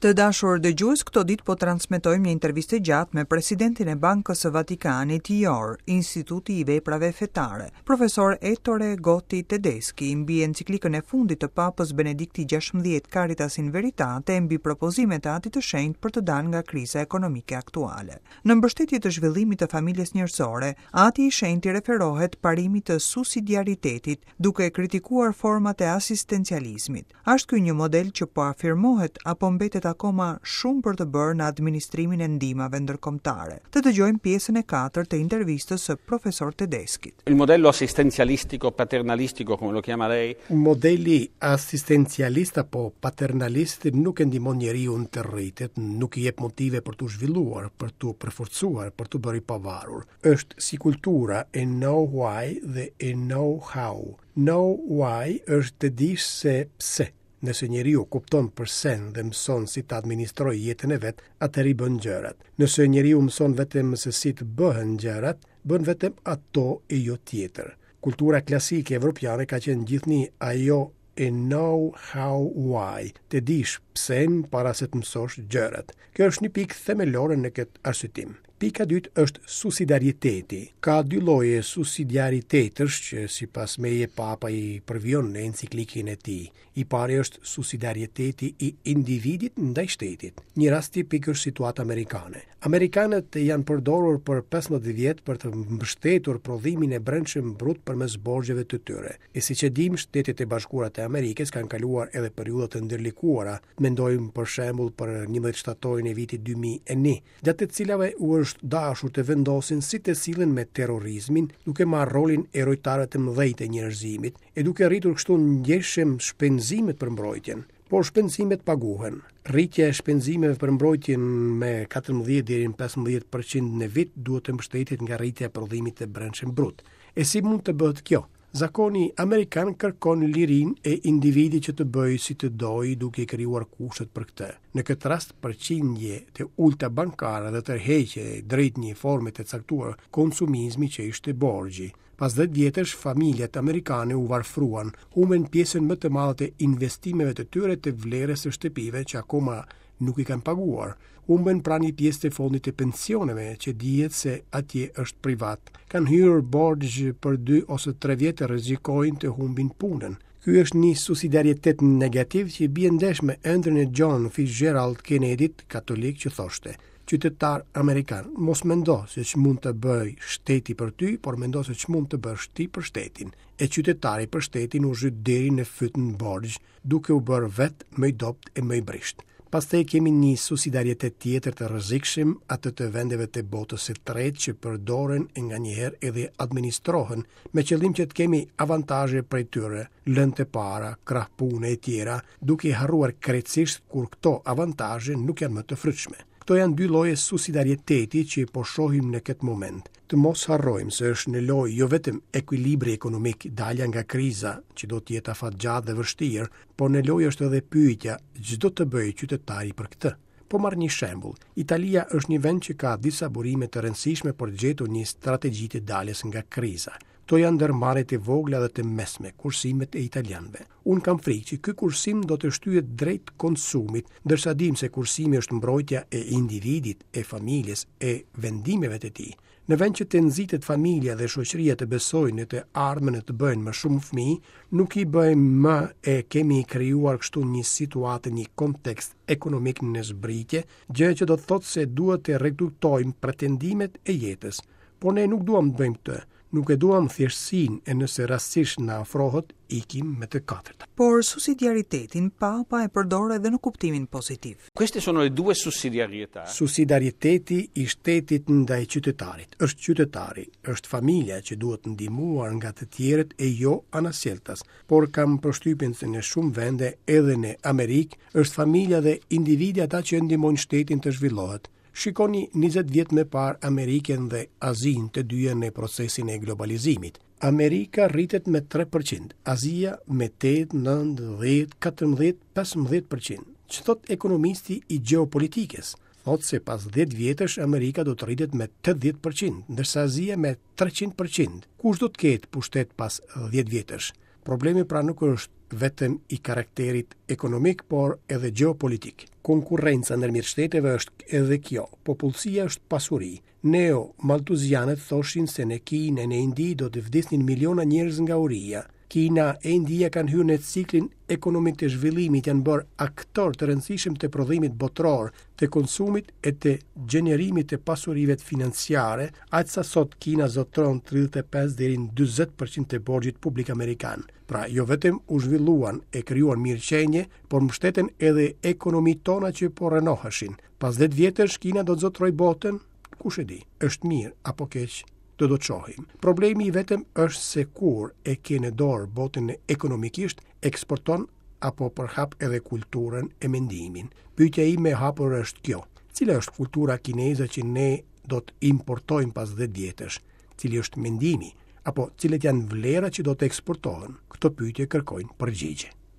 Të dashur dëgjues, këto ditë po transmetojmë një intervistë të gjatë me presidentin e Bankës së Vatikanit, IOR, Instituti i Veprave Fetare, profesor Ettore Gotti Tedeschi, mbi enciklikën e fundit të Papës Benedikti XVI Caritas in Veritate e mbi propozimet e Atit të Shenjtë për të dalë nga kriza ekonomike aktuale. Në mbështetje të zhvillimit të familjes njerëzore, Ati i Shenjtë i referohet parimit të susidiaritetit, duke kritikuar format e asistencializmit. A është ky një model që po afirmohet apo mbetet akoma shumë për të bërë në administrimin e ndihmave ndërkombëtare? Të dëgjojmë pjesën e katërt të intervistës së profesor Tedeschit. Il modello assistenzialistico paternalistico come lo chiama lei. Modeli asistencialist apo paternalist nuk e ndihmon njeriun të rritet, nuk i jep motive për t'u zhvilluar, për t'u përforcuar, për t'u bërë i pavarur. Është si kultura e know why dhe e know how. Know why është të dish se pse. Nëse njeriu kupton përsen dhe mëson si të administrojë jetën e vet, atëherë i bën gjërat. Nëse njeriu mëson vetëm se si të bëhen gjërat, bën vetëm ato e jo tjetër. Kultura klasike evropiane ka qenë gjithnjë ajo e know how why, të dish psen para se të mësosh gjërat. Kjo është një pikë themelore në këtë arsyetim. Pika e dytë është susidiariteti. Ka dy lloje susidiaritetesh që sipas meje Papa i përvijon në enciklikën e tij. I pari është susidiariteti i individit ndaj shtetit. Një rast tipik është situata amerikane. Amerikanët janë përdorur për 15 vjet për të mbështetur prodhimin e brendshëm brut përmes borxheve të tyre. E siç e dimë, Shtetet e Bashkuara të Amerikës kanë kaluar edhe periudha të ndërlikuara. Mendojmë për shembull për 11 shtatorin e vitit 2001, gjatë të cilave u është dashur të vendosin si të sillen me terrorizmin, duke marrë rolin e rojtarëve të mëdhenj të njerëzimit, e duke rritur kështu ndjeshëm shpenzimet për mbrojtjen. Por shpenzimet paguhen. Rritja e shpenzimeve për mbrojtjen me 14 deri në 15% në vit duhet të mbështetet nga rritja e prodhimit të brendshëm brut. E si mund të bëhet kjo? Zakoni amerikan kërkon lirinë e individit që të bëjë si të dojë duke i krijuar kushtet për këtë. Në këtë rast përqindje të ulëta bankare dhe tërheqje drejt një forme të caktuar konsumizmi që ishte borxhi. Pas 10 vjetësh, familjet amerikane u varfruan, humbën pjesën më të madhe të investimeve të tyre të vlerës së shtëpive që akoma nuk i kanë paguar. Humbën pra një pjesë të fondit të pensioneve që dihet se atje është privat. Kanë hyrë borxh për 2 ose 3 vjet e rrezikojnë të humbin punën. Ky është një susidiaritet negativ që bie ndesh me ëndrrën e John Fitzgerald Kennedy-t, katolik që thoshte: Qytetar amerikan, mos mendo se ç'mund të bëjë shteti për ty, por mendo se ç'mund të bësh ti për shtetin. E qytetari për shtetin u zhyt deri në fyt në borxh, duke u bërë vetë më i dobët e më i brishtë. Pastaj kemi një susidiaritet tjetër të rrezikshëm, atë të vendeve të botës së tretë që përdoren e nganjëherë edhe administrohen, me qëllim që të kemi avantazhe prej tyre, lëndë të para, krah pune e tjera, duke i harruar krejtësisht kur këto avantazhe nuk janë më të frytshme. Këto janë dy lloje susidiariteti që po shohim në këtë moment. Të mos harrojmë se është në lojë jo vetëm ekuilibri ekonomik, dalja nga kriza, që do të jetë afatgjatë dhe vështirë, por në lojë është edhe pyetja, ç'do të bëjë qytetari për këtë? Po marr një shembull. Italia është një vend që ka disa burime të rëndësishme për të gjetur një strategji të daljes nga kriza. Këto janë ndërmarrjet e vogla dhe të mesme, kursimet e italianëve. Unë kam frikë që ky kursim do të shtyhet drejt konsumit, ndërsa dimë se kursimi është mbrojtja e individit, e familjes, e vendimeve të tij. Në vend që të nxitet familja dhe shoqëria të besojnë në të ardhmen e të bëjnë më shumë fëmijë, nuk i bëjmë më e kemi krijuar kështu një situatë, një kontekst ekonomik në zbritje, gjë që do të thotë se duhet të reduktojmë pretendimet e jetës. Por ne nuk duam të bëjmë këtë. Nuk e duam thjeshtësinë e nëse rastësisht na ofrohet, ikim me të katërta. Por susidiaritetin Papa e përdor edhe në kuptimin pozitiv. Queste sono le due sussidiarietà. Susidiariteti i shtetit ndaj qytetarit. Është qytetari, është familja që duhet ndihmuar nga të tjerët e jo anasjelltas. Por kam përshtypjen se në shumë vende, edhe në Amerikë, është familja dhe individi ata që ndihmojnë shtetin të zhvillohet. Shikoni 20 vjet më parë Amerikën dhe Azinë të dyja në procesin e globalizimit. Amerika rritet me 3%, Azia me 8, 9, 10, 14, 15%. Ç'thotë ekonomisti i gjeopolitikës? Thotë se pas 10 vjetësh Amerika do të rritet me 80%, ndërsa Azia me 300%. Kush do të ketë pushtet pas 10 vjetësh? Problemi pra nuk është vetëm i karakterit ekonomik, por edhe gjeopolitik. Konkurrenca ndërmjet shteteve është edhe kjo. Popullsia është pasuri. Neo-Maltuzianët thoshin se në Kinë e në Indi do të vdisnin miliona njerëz nga uria. Kina e India kanë hyrë në ciklin ekonomik të zhvillimit, janë bërë aktorë të rëndësishëm të prodhimit botëror, të konsumit e të gjenerimit të pasurive financiare, aq sa sot Kina zotëron 35 deri në 40% të borxhit publik amerikan. Pra, jo vetëm u zhvilluan e krijuan mirëqenie, por mbështetën edhe ekonomitë tona që po rrënoheshin. Pas 10 vjetësh Kina do të zotërojë botën? Kush e di, është mirë apo keq? Do të shohim. Problemi i vetëm është se kur e ke në dorë botën ekonomikisht, eksporton apo përhap edhe kulturën e mendimin. Pyetja ime e hapur është kjo. Cila është kultura kineze që ne do të importojmë pas 10 vjetësh? Cili është mendimi? Apo cilat janë vlerat që do të eksportohen? Këto pyetje kërkojnë përgjigje.